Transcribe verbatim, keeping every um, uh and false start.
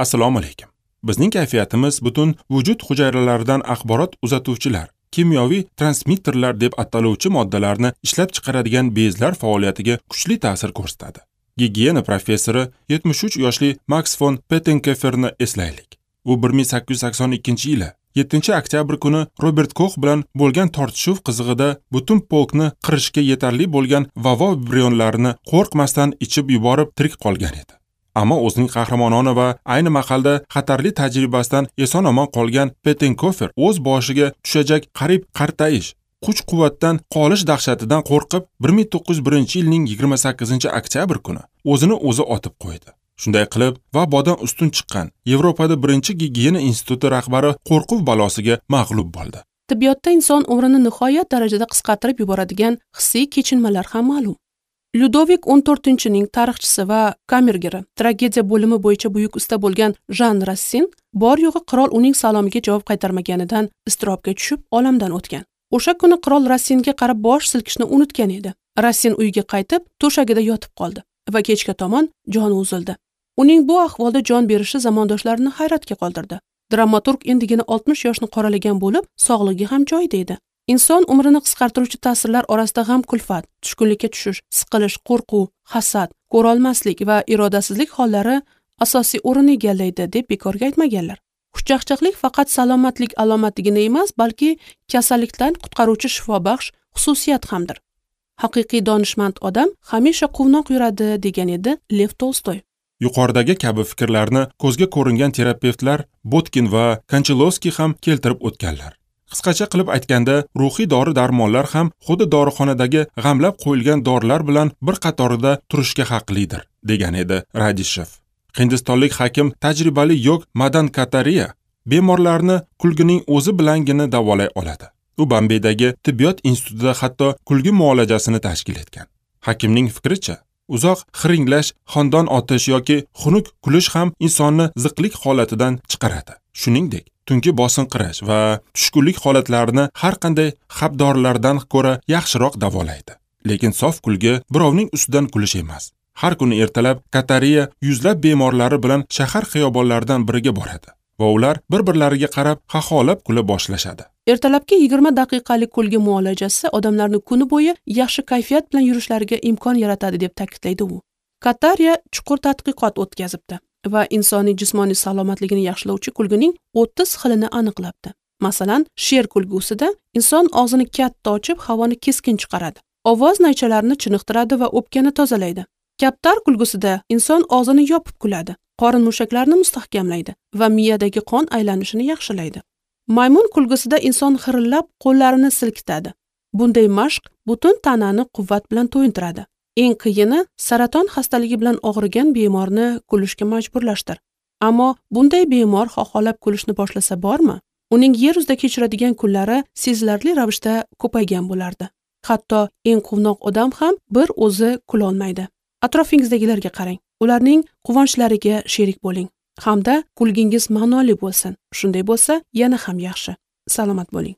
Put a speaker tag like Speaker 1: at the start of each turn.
Speaker 1: Assalomu alaykum. Bizning kayfiyatimiz butun vujud hujayralaridan axborot uzatuvchilar, kimyoviy transmitterlar deb ataluvchi moddalarni ishlab chiqaradigan bezlar faoliyatiga kuchli ta'sir ko'rsatadi. Gigiyena professori yetmish uch yoshli Max fon Pettenkoferni eslaylik. U bir ming sakkiz yuz sakson ikkinchi yili yettinchi oktyabr kuni Robert Kox bilan bo'lgan tortishuv qizig'ida butun polkni qirishga yetarli bo'lgan vabo vibrionlarini qo'rqmasdan ichib yuborib tirik qolgan edi. Ammo o'zining qahramonona va ayni mahalda xatarli tajribasidan eson-omon qolgan Pettenkofer o'z boshiga tushajak qariyb qartayish, kuch-quvvatdan qolish dahshatidan qo'rqib bir ming to'qqiz yuz birinchi yilning yigirma sakkizinchi oktyabr kuni o'zini o'zi otib qo'ydi. Shunday qilib, vabodan ustun chiqqan Yevropada birinchi gigiyena instituti rahbari qo'rquv balosiga mag'lub bo'ldi.
Speaker 2: Tibbiyotda inson umrini nihoyat darajada qisqartirib yuboradigan hissiy kechinmalar ham ma'lum. Lyudovik o'n to'rtinchining tarixchisi va kamergeri, tragediya bo'limi bo'yicha buyuk usta bo'lgan Jan Rassin bor yo'g'i qirol uning salomiga javob qaytarmaganidan iztirobga tushib olamdan o'tgan. O'sha kuni qirol Rassinga qarab bosh silkishni unutgan edi. Rassin uyga qaytib, to'shagida yotib qoldi va kechga tomon joni uzildi. Uning bu ahvolda jon berishi zamondoshlarini hayratga qoldirdi. Dramaturg endigina oltmish yoshni qoralagan bo'lib, sog'ligi ham joyida edi. Inson umrini qisqartiruvchi ta'sirlar orasida g'am, kulfat, tushkunlikka tushish, siqilish, qo'rquv, hasad, ko'rolmaslik va irodasizlik hollari asosiy o'rin egallaydi deb bekorga aytmaganlar. Xushchaqchaqlik faqat salomatlik alomatigina emas, balki kasallikdan qutqaruvchi shifobaxsh xususiyat hamdir. Haqiqiy donishmand odam hamisha quvnoq yuradi degan edi Lev Tolstoy.
Speaker 1: Yuqoridagi kabi fikrlarni ko'zga ko'ringan terapevtlar Botkin va Konchalovskiy ham keltirib o'tganlar. Qisqacha qilib aytganda, ruhiy dori-darmonlar ham xuddi dorixonadagi g'amlab qo'yilgan dorilar bilan bir qatorida turishga haqlidir, degan edi Radishev. Hindistonlik hakim tajribali yog Madan Katariya bemorlarni kulgining o'zi bilangina davolay oladi. U Bombaydagi tibbiyot institutida hatto kulgi muolajasini tashkil etgan. Hakimning fikricha, uzoq xiringlash, xondon otish yoki xunuk kulish ham insonni ziqlik holatidan chiqaradi. Shuningdek, tungi bosinqirash va tushkunlik holatlarini har qanday xabdorlardan ko'ra yaxshiroq davolaydi. Lekin sof kulgi birovning ustidan kulish emas. Har kuni ertalab Katariya yuzlab bemorlari bilan shahar xiyobonlaridan biriga boradi va ular bir-birlariga qarab xaxolab kula boshlashadi.
Speaker 2: Ertalabki yigirma daqiqalik kulgi muolajasi odamlarni kuni bo'yi yaxshi kayfiyat bilan yurishlariga imkon yaratadi deb ta'kidlaydi u. Katariya chuqur tadqiqot o'tkazibdi va insonning jismoniy salomatligini yaxshilovchi kulgining o'ttiz xilini aniqlabdi. Masalan, sher kulgusida inson og'zini katta ochib, havoni keskin chiqaradi. Ovoz naychalarini chiniqtiradi va o'pkani tozalaydi. Kaptar kulgusida inson og'zini yopib kuladi, qorin mushaklarini mustahkamlaydi va miyadagi qon aylanishini yaxshilaydi. Maymun kulgusida inson xirillab qo'llarini silkitadi. Bunday mashq butun tanani quvvat bilan to'yintiradi. Eng qiyini saraton xastaligi bilan og'rigan bemorni kulishga majburlashdir. Ammo bunday bemor xoholab kulishni boshlasa bormi? Uning yer yuzida kechiradigan kunlari sezilarli ravishda ko'paygan bo'lardi. Hatto eng quvnoq odam ham bir o'zi kula olmaydi. Atrofingizdagilarga qarang, ularning quvonchlariga sherik bo'ling hamda kulgingiz ma'noli bo'lsin. Shunday bo'lsa, yana ham yaxshi. Salomat bo'ling.